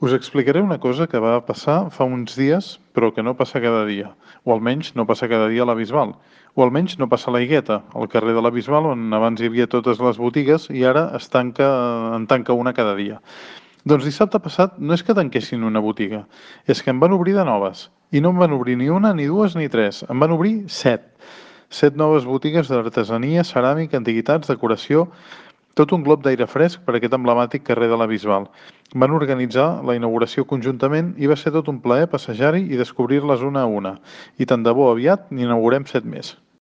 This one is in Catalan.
Us explicaré una cosa que va passar fa uns dies, però que no passa cada dia. O almenys no passa cada dia a la Bisbal. O almenys no passa a la Higueta, al carrer de la Bisbal, on abans hi havia totes les botigues i ara en tanca una cada dia. Doncs dissabte passat no és que tanquessin una botiga, és que en van obrir de noves. I no en van obrir ni una, ni dues, ni tres. En van obrir 7. 7 noves botigues d'artesania, ceràmica, antiguitats, decoració, tot un glob d'aire fresc per aquest emblemàtic carrer de la Bisbal. Van organitzar la inauguració conjuntament i va ser tot un plaer passejar-hi i descobrir-les una a una. I tant de bo aviat n'inaugurem 7 més.